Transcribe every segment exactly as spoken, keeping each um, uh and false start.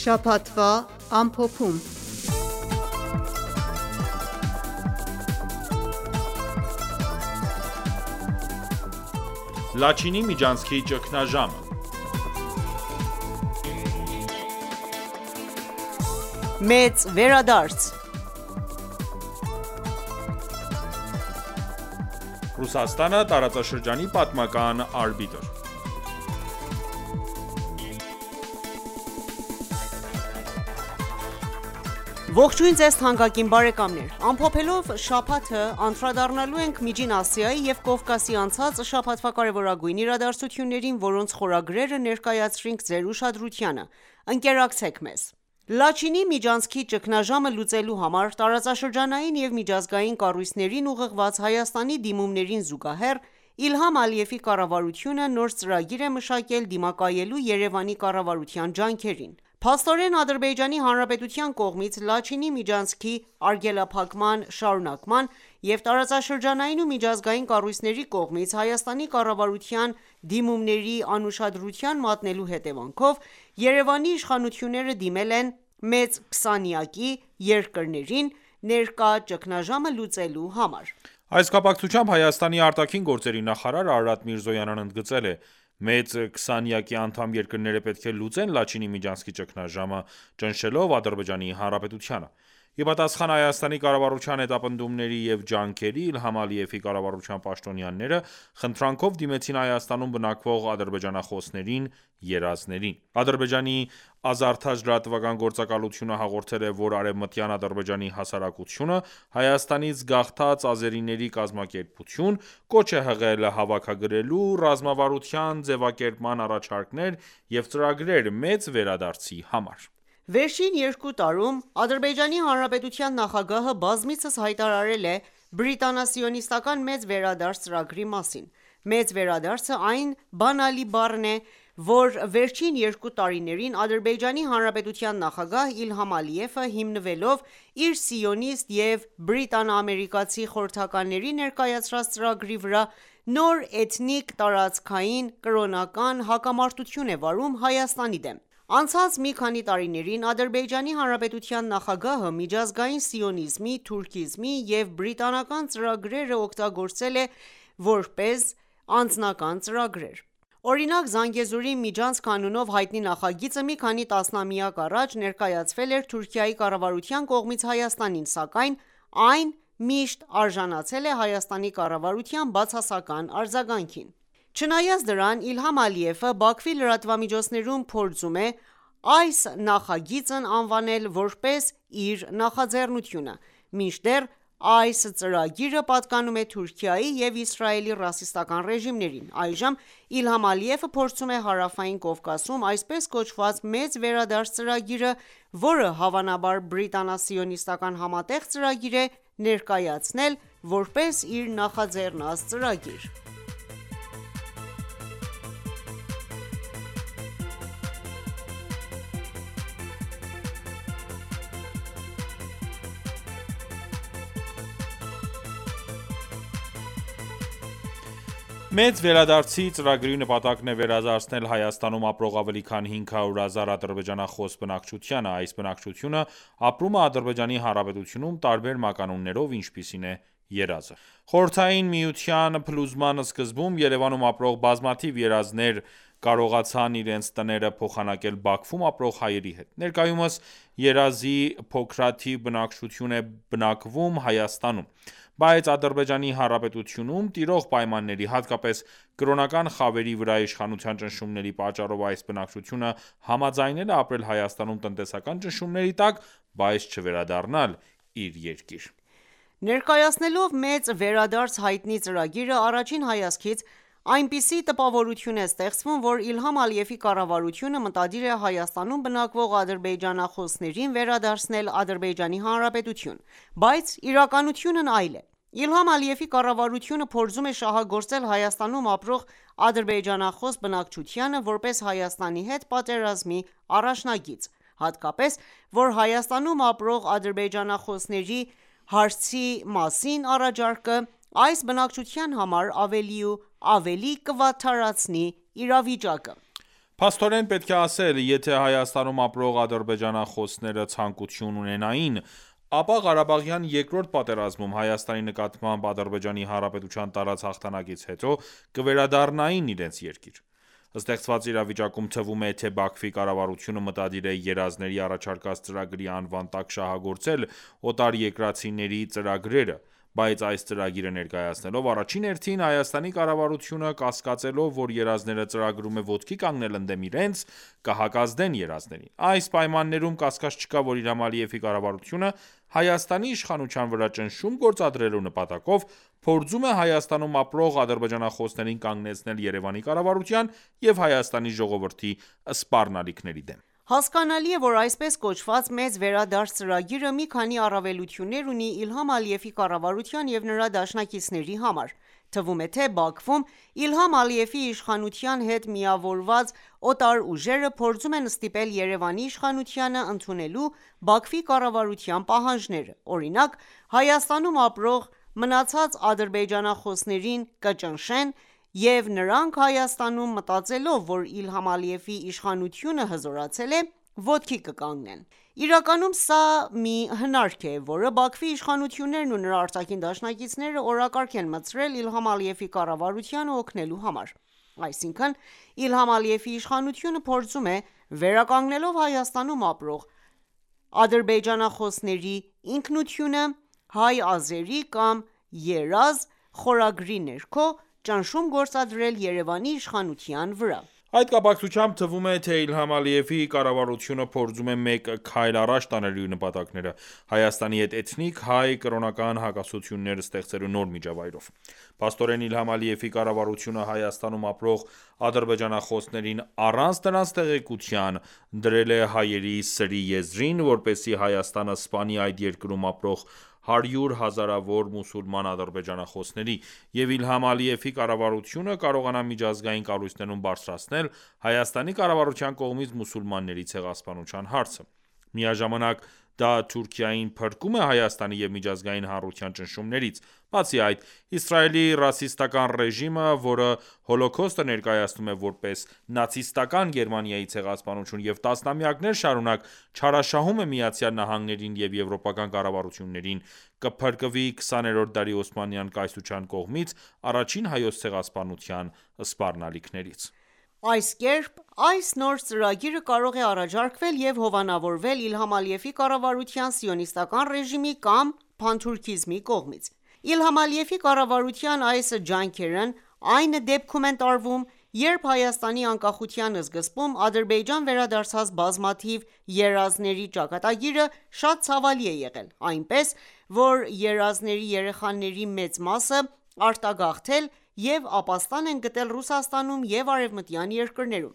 Շաբաթվա ամփոփում։ Լաչինի միջանցքի ճգնաժամը։ Մեծ վերադարձ։ Ռուսաստանը տարածաշրջանի պատմական արբիտր։ Ողջույն ձեզ թանկագին բարեկամներ: Ամփոփելով շաբաթը անդրադառնալու ենք Միջին Ասիայի և Կովկասի անցած շաբաթվա կարևորագույն իրադարձություններին, որոնց խորագրերը ներկայացրինք ձեր ուշադրությանը: Ընկերակցեք մեզ: Լաչինի միջանցքի ճգնաժամը լուծելու համար տարածաշրջանային և միջազգային կառույցներին ուղղված Հայաստանի դիմումներին զուգահեռ, Իլհամ Ալիևի կառավարությունը նոր ծրագիր է մշակել դիմակայելու Երևանի կառավարության ջանքերին: Փաստորեն, Ադրբեջանի Հանրապետության կողմից Լաչինի միջանցքի արգելափակման շարունակման և տարածաշրջանային ու միջազգային կառույցների կողմից Հայաստանի կառավարության դիմումների անուշադրության մատնելու հետևանքով, Երևանի իշխանությունները դիմել են մեծ քսանյակի երկրներին ներկա ճգնաժամը լուծելու համար: Այս կապակցությամբ Հայաստանի արտաքին գործերի նախարար Արարատ Միրզոյանն ընդգծել է. «Մեծ քսանյակի անդամ երկրները պետք է լուծեն Լաչինի միջանցքի ճգնաժամը՝ ճնշելով Ադրբեջանի Հանրապետությանը»: Ի պատասխան Հայաստանի կառավարության հետապնդումների և ջանքերի, Իլհամ Ալիևի կառավարության պաշտոնյաները խնդրանքով դիմեցին Հայաստանում բնակվող ադրբեջանախոսներին, երազներին: Ադրբեջանի «Ազարթաջ» լրատվական գործակալությունը հաղորդել է, որ Արևմտյան Ադրբեջանի հասարակությունը Հայաստանից գաղթած ազերիների կազմակերպություն, կոչ է հղել հավաքագրելու ռազմավարության ձևակերպման առաջարկներ և ծրագրեր մեծ վերադարձի համար: Վերջին երկու տարում Ադրբեջանի Հանրապետության նախագահը բազմիցս հայտարարել է բրիտանա-սիոնիստական մեծ վերադարձ ծրագրի մասին: Մեծ վերադարձը այն բանալի բառն է, որ վերջին երկու տարիներին Ադրբեջանի Հանրապետության նախագահ Իլհամ Ալիևը հիմնվելով իր սիոնիստ և բրիտանա-ամերիկացի խորհրդականների ներկայացրած ծրագրի վրա, նոր էթնիկ, տարածքային, կրոնական հակամարտություն է վարում Հայաստանի դեմ: Անցած մի քանի տարիներին Ադրբեջանի Հանրապետության նախագահը միջազգային սիոնիզմի, թուրքիզմի և բրիտանական ծրագրերը օգտագործել է որպես անձնական ծրագրեր: Օրինակ Զանգեզուրի միջանցք անունով հայտնի նախագիծը մի քանի տասնամյակ առաջ ներկայացվել էր Թուրքիայի կառավարության կողմից Հայաստանին, սակայն այն միշտ արժանացել է Հայաստանի կառավարության բացասական արձագանքին: Չնայած դրան, Իլհամ Ալիևը Բաքվի լրատվամիջոցներում փորձում է այս նախագիծն անվանել որպես իր նախաձեռնությունը, մինչդեռ այս ծրագիրը պատկանում է Թուրքիայի և Իսրայելի ռասիստական ռեժիմներին: Այժմ Իլհամ Ալիևը փորձում է Հարավային Կովկասում այսպես կոչված մեծ վերադարձ ծրագիրը, որը հավանաբար բրիտանա-սիոնիստական համատեղ ծրագիր է, ներկայացնել որպես իր նախաձեռնած ծրագիր: Մեծ վերադարձի ծրագրի նպատակն է վերադարձնել Հայաստանում ապրող ավելի քան հինգ հարյուր հազար ադրբեջանախոս բնակչությանը: Այս բնակչությունը ապրում է Ադրբեջանի Հանրապետությունում տարբեր մականուններով, ինչպիսին է երազը: Խորհրդային Միության փլուզման սկզբում Երևանում ապրող բազմաթիվ երազներ կարողացան իրենց տները փոխանակել Բաքվում ապրող հայերի հետ: Ներկայումս երազի փոքրաթիվ բնակչություն է բնակվում Հայաստանում: Բայց Ադրբեջանի Հանրապետությունում տիրող պայմանների, հատկապես կրոնական խավերի վրա իշխանության ճնշումների պատճառով այս բնակչությունը համաձայնել է ապրել Հայաստանում տնտեսական ճնշումների տակ, բայց չվերադառնալ իր երկիր: Ներկայացնելով մեծ վերադարձ հայտնի ծրագիրը, առաջին հայացքից այնպիսի տպավորություն է ստեղծվում, որ Իլհամ Ալիևի կառավարությունը մտադիր է Հայաստանում բնակվող ադրբեջանախոսներին վերադարձնել Ադրբեջանի Հանրապետություն: Բայց իրականությունն այլ է: Իլհամ Ալիևի կառավարությունը փորձում է շահագործել Հայաստանում ապրող ադրբեջանախոս բնակչությանը որպես Հայաստանի հետ պատերազմի առաջնագիծ, հատկապես, որ Հայաստանում ապրող ադրբեջանախոսների հարցի մասին առաջարկը այս բնակչության համար ավելի ու ավելի կվատթարացնի իրավիճակը: Փաստորեն պետք է ասել, եթե Հայաստանում ապրող ադրբեջանախոսները ցանկություն ունենային, ապա Ղարաբաղյան երկրորդ պատերազմում Հայաստանի նկատմամբ Ադրբեջանի Հանրապետության տարած հաղթանակից հետո կվերադառնային իրենց երկիր: Ստեղծված իրավիճակում թվում է, թե Բաքվի կառավարությունը մտադիր է երազների առաջարկած ծրագրի անվան տակ շահագործել օտարերկրացիների ծրագրերը, բայց այս ծրագիրը ներկայացնելով, առաջին հերթին Հայաստանի կառավարությունը կասկածելով, որ երազները ծրագրում է ոտքի կանգնել ընդդեմ իրենց, կհակազդեն երազներին: Այս պայմաններում կասկած չկա, որ Իլհամ Ալիևի կառավարությունը Հայաստանի իշխանության վրա ճնշում գործադրելու նպատակով փորձում է Հայաստանում ապրող ադրբեջանախոսներին կանգնեցնել Երևանի կառավարության և Հայաստանի ժողովրդի սպառնալիքների դեմ: Հասկանալի է, որ այսպես կոչված մեծ վերադարձ ծրագիրը մի քանի առավելություններ ունի Իլհամ Ալիևի կառավարության և նրա դաշնակիցների համար: Թվում է, թե Բաքվում Իլհամ Ալիևի իշխանության հետ միավորված օտար ուժերը փորձում են ստիպել Երևանի իշխանությանը ընդունելու Բաքվի կառավարության պահանջները: Օրինակ, Հայաստանում ապրող մնացած ադրբեջանախոսներին կճնշեն և նրանք Հայաստանում, մտածելով, որ Իլհամ Ալիևի իշխանությունը հզորացել է, ոտքի կկանգնեն: Իրականում սա մի հնարք է, որը Բաքվի իշխանություններն ու նրա արտաքին դաշնակիցները օրակարգ են մտցրել Իլհամ Ալիևի կառավարությանը օգնելու համար: Այսինքն, Իլհամ Ալիևի իշխանությունը փորձում է, վերականգնելով Հայաստանում ապրող ադրբեջանախոսների ինքնությունը, հայ-ազերի կամ «երազ» խորագրի ներքո ճնշում գործադրել Երևանի իշխանության վրա: Այդ կապակցությամբ թվում է, թե Իլհամ Ալիևի կառավարությունը փորձում է մեկ քայլ առաջ տանել իր նպատակները՝ Հայաստանի հետ էթնիկ հայ կրոնական հակասություններ ստեղծելու նոր միջավայրով: Փաստորեն Իլհամ Ալիևի կառավարությունը Հայաստանում ապրող ադրբեջանախոսներին առանց նրանց տեղեկության դրել է հայերի սրի եզրին, որպեսզի Հայաստանը սպանի այդ երկրում ապրող հարյուր հազարավոր մուսուլման ադրբեջանախոսների և Իլհամ Ալիևի կառավարությունը կարողանա միջազգային կառույցներում բարձրացնել Հայաստանի կառավարության կողմից մուսուլմանների ցեղասպանության հարցը: Միաժամանակ դա Թուրքիային փրկում է Հայաստանի և միջազգային հանրության ճնշումներից: Բացի այդ, Իսրայելի ռասիստական ռեժիմը, որը Հոլոքոստը ներկայացնում է որպես նացիստական Գերմանիայի ցեղասպանություն և տասնամյակներ շարունակ չարաշահում է ԱՄՆ-ին և եվրոպական կառավարություններին, կփրկվի քսաներորդ դարի օսմանյան կայսրության կողմից առաջին հայոց ցեղասպանության սպառնալիքներից: Այս կերպ, այս նոր ծրագիրը կարող է առաջարկվել և հովանավորվել Իլհամ Ալիևի կառավարության սիոնիստական ռեժիմի կամ փանթուրքիզմի կողմից: Իլհամ Ալիևի կառավարության այս ջանքերն այն դեպքում են տարվում, երբ Հայաստանի անկախության սկզբում Ադրբեջան վերադարձած բազմաթիվ երազների ճակատագիրը շատ ցավալի է եղել, այնպես, որ երազների երեխաների մեծ մասը արտագաղթել և ապաստան են գտել Ռուսաստանում և արևմտյան երկրներում: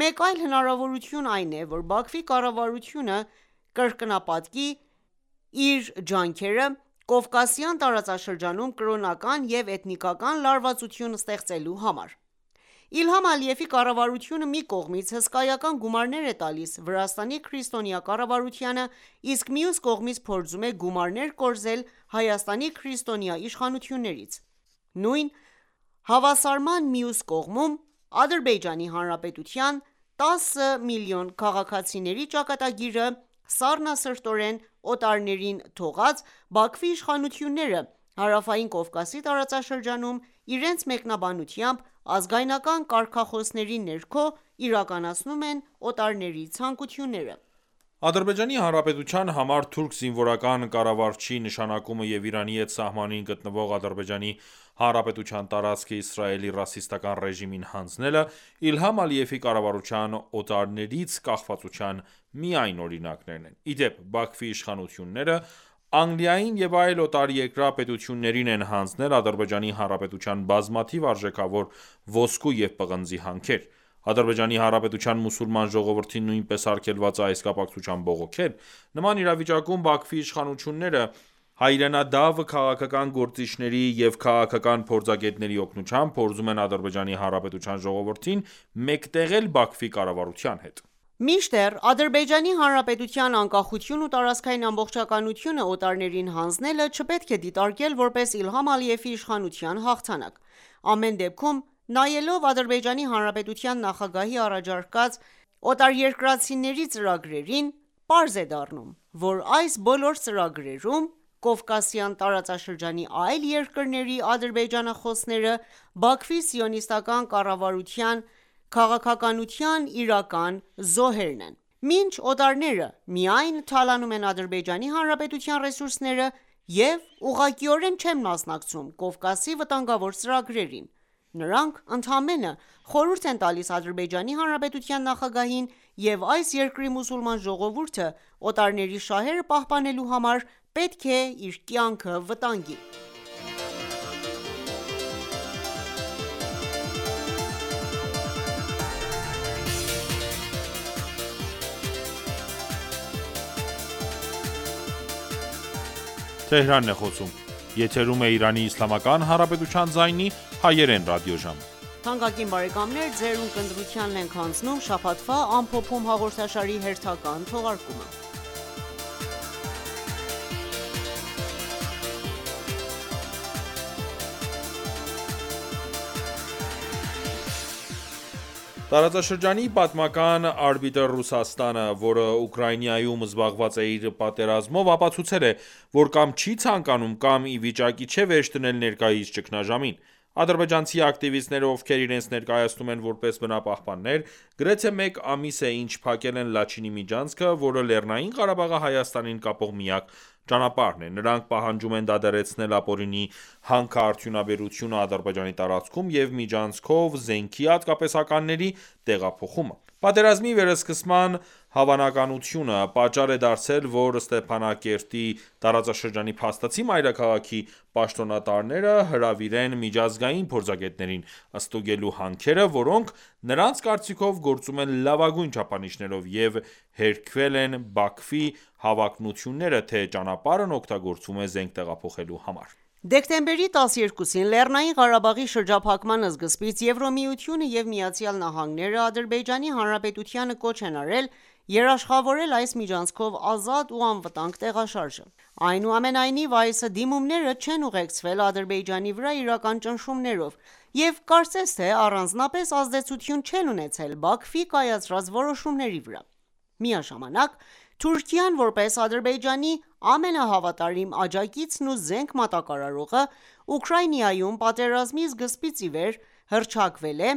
Մեկ այլ հնարավորություն այն է, որ Բաքվի կառավարությունը կրկնապատկի իր ջանքերը Կովկասյան տարածաշրջանում կրոնական և էթնիկական լարվածություն ստեղծելու համար: Իլհամ Ալիևի կառավարությունը մի կողմից հսկայական գումարներ է տալիս Վրաստանի քրիստոնյա կառավարությանը, իսկ մյուս կողմից փորձում է գումարներ կորզել Հայաստանի քրիստոնյա իշխանություններից: Նույն հավասարման մյուս կողմում, Ադրբեջանի Հանրապետության տասը միլիոն քաղաքացիների ճակատագիրը սառնասրտորեն օտարներին թողած Բաքվի իշխանությունները Հարավային Կովկասի տարածաշրջանում իրենց մեկնաբանությամբ ազգայնական կարգախոսների ներքո իրականացնում են օտարների ցանկությունները: Ադրբեջանի Հանրապետության համար թուրք զինվորական կառավարչի նշանակումը և Իրանի հետ սահմանին գտնվող Ադրբեջանի Հանրապետության տարածքը Իսրայելի ռասիստական ռեժիմին հանձնելը Իլհամ Ալիևի կառավարության օտարներից կախվածության միայն օրինակներն են: Ի դեպ, Բաքվի իշխանությունները Անգլիային և այլ օտարերկրյա պետություններին են հանձնել Ադրբեջանի Հանրապետության բազմաթիվ արժեքավոր ոսկու և պղնձի հանքեր: Ադրբեջանի Հանրապետության մուսուլման ժողովրդին նույնպես արգելված է այս կապակցությամբ բողոքել: Նման իրավիճակում Բաքվի իշխանությունները հայրենադավ քաղաքական գործիչների և քաղաքական փորձագետների օգնությամբ փորձում են Ադրբեջանի Հանրապետության ժողովրդին մեկտեղել Բաքվի կառավարության հետ: Մինչդեռ Ադրբեջանի Հանրապետության անկախությունն ու տարածքային ամբողջականությունը օտարներին հանձնելը չպետք է դիտարկել որպես Իլհամ Ալիևի իշխանության հաղթանակ: Ամեն դեպքում, նայելով Ադրբեջանի Հանրապետության նախագահի առաջարկած օտարերկրացիների ծրագրերին, պարզ է դառնում, որ այս բոլոր ծրագրերում Կովկասյան տարածաշրջանի այլ երկրների ադրբեջանախոսները Բաքվի սիոնիստական կառավարության քաղաքականության իրական զոհերն են: Մինչ օտարները միայն թալանում են Ադրբեջանի Հանրապետության ռեսուրսները և ուղղակիորեն չեն մասնակցում Կովկասի վտանգավոր ծրագրերին, նրանք ընդամենը խորհուրդ են տալիս Ադրբեջանի Հանրապետության նախագահին և այս երկրի մուսուլման ժողովուրդը օտարների շահերը պահպանելու համար պետք է իր կյանքը վտանգի: Տարածաշրջանի պատմական արբիտր Ռուսաստանը, որը Ուկրաինայում զբաղված է իր պատերազմով, ապացուցել է, որ կամ չի ցանկանում, կամ ի վիճակի չէ վերջ դնել ներկայիս ճգնաժամին: Ադրբեջանցի ակտիվիստները, ովքեր իրենց ներկայացնում են որպես բնապահպաններ, գրեթե մեկ ամիս է ինչ փակել են Լաչինի միջանցքը, որը Լեռնային Ղարաբաղը Հայաստանին կապող միակ ճանապարհն է: Նրանք պահանջում են դադարեցնել ապօրինի հանքարդյունաբերությունը Ադրբեջանի տարածքում և միջանցքով զենքի հատկապես-ականների տեղափոխումը: Պատերազմի վերսկսման հավանականությունը պատճառ է դարձել, որ Ստեփանակերտի տարածաշրջանի փաստացի մայրաքաղաքի պաշտոնատարները հրավիրեն միջազգային փորձագետներին՝ ստուգելու հանքերը, որոնք նրանց կարծիքով գործում են լավագույն չափանիշներով և հերքվել են Բաքվի հավակնությունները, թե ճանապարհն օգտագործվում է զենք տեղափոխելու համար: Դեկտեմբերի տասներկուսին Լեռնային Ղարաբաղի շրջափակման սկզբից Եվրամիությունը և ԱՄՆ-ը Ադրբեջանի Հանրապետությանը կոչ են արել երաշխավորել այս միջանցքով ազատ ու անվտանգ տեղաշարժը: Այնուամենայնիվ, այս դիմումները չեն ուղեկցվել Ադրբեջանի վրա իրական ճնշումներով և կարծես թե առանձնապես ազդեցություն չեն ունեցել Բաքվի կայացրած որոշումների վրա: Միաժամանակ, Թուրքիան, որպես Ադրբեջանի ամենահավատարիմ աջակիցն ու զենք մատակարարողը, Ուկրաինայում պատերազմի սկզբից ի վեր հռչակվել է,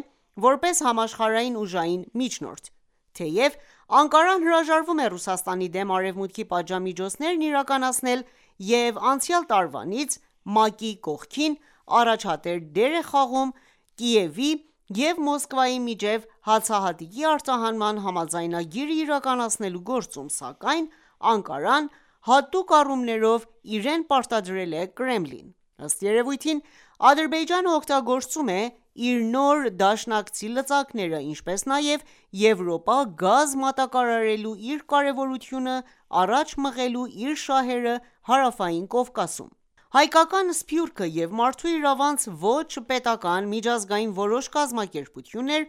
որպես համաշխարհային ուժային միջնորդ: Թեև Անկարան հրաժարվում է Ռուսաստանի դեմ Արևմուտքի պատժամիջոցներն իրականացնել և անցյալ տարվանից ՄԱԿ-ի կողքին առաջադեմ դեր է խաղում Կիևի և Մոսկվայի միջև հացահատիկի արտահանման համաձայնագիրը իրականացնելու գործում, սակայն Անկարան հատուկ առումներով իրեն պարտադրել է Կրեմլին: Ըստ երևույթին, Ադրբեջանը օգտագործում է իր նոր դաշնակցի լծակները, ինչպես նաև Եվրոպա գազ մատակարարելու իր կարևորությունը առաջ մղելու իր շահերը Հարավային Կովկասում: Հայկական Սփյուռքը և մարդու իրավանց ոչ պետական միջազգային որոշ կազմակերպություններ,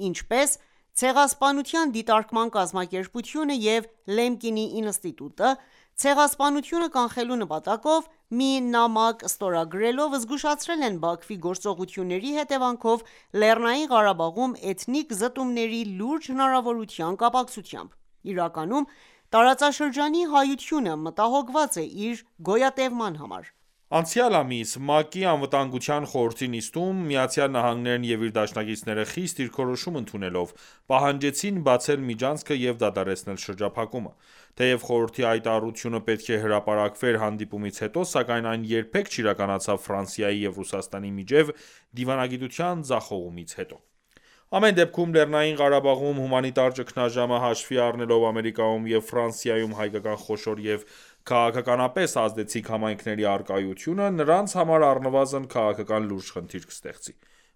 ինչպես Ցեղասպանության դիտարկման կազմակերպությունը և Լեմկինի ինստիտուտը, ցեղասպանությունը կանխելու նպատակով մի նամակ ստորագրելով զգուշացրել են Բաքվի գործողությունների հետևանքով Լեռնային Ղարաբաղում էթնիկ զտումների լուրջ հնարավորության կապակցությամբ: Իրականում, տարածաշրջանի հայությունը մտահոգված է իր գոյատևման համար: Անցյալ ամիս ՄԱԿ-ի Անվտանգության խորհրդի նիստում ԱՄՆ-ն և իր դաշնակիցները խիստ դիրքորոշում ընդունելով, պահանջեցին բացել միջանցքը և դադարեցնել շրջափակումը: Թեև խորհրդի հայտարարությունը պետք է հրապարակվեր հանդիպումից հետո, սակայն այն երբեք չիրականացավ Ֆրանսիայի և Ռուսաստանի միջև դիվանագիտության ձախողումից հետո: Ամեն դեպքում, Լեռնային Ղարաբաղում հումանիտար ճգնաժամը հաշվի առնելով Ամերիկայում և Ֆրանսիայում հայկական խոշոր և քաղաքականապես ազդեցիկ համայնքների առկայությունը, նրանց համար առնվազն քաղաքական լուրջ խնդիր կստեղծի: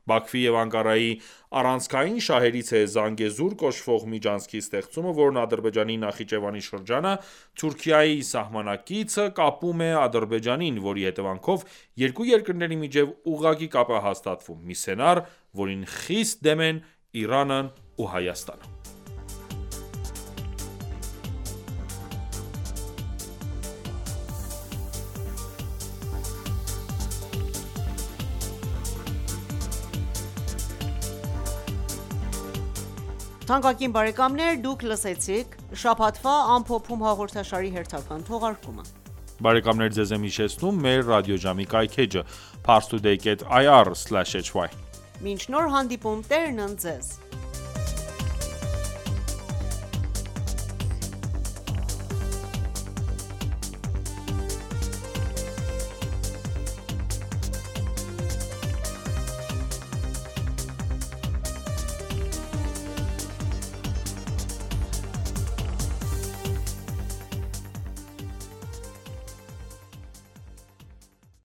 Բաքվի և Անկարայի առանցքային շահերից է Զանգեզուր կոչվող միջանցքի ստեղծումը, որն Ադրբեջանի Նախիջևանի շրջանը Թուրքիայի սահմանակիցը կապում է Ադրբեջանին, որի հետևանքով երկու երկրների միջև ուղղակի կապ է հաստատվում, մի սցենար, որին խիստ դեմ են Իրանն ու Հայաստանը: Թանկագին բարեկամներ, դուք լսեցիք շաբաթվա ամփոփում հաղորդաշարի հերթական թողարկումը: Բարեկամներ ձեզ եմ հիշեցնում մեր ռադիոժամի կայքէջը՝ parstoday dot ir slash hy: Մինչ նոր հանդիպում, Տերն ընդ ձեզ: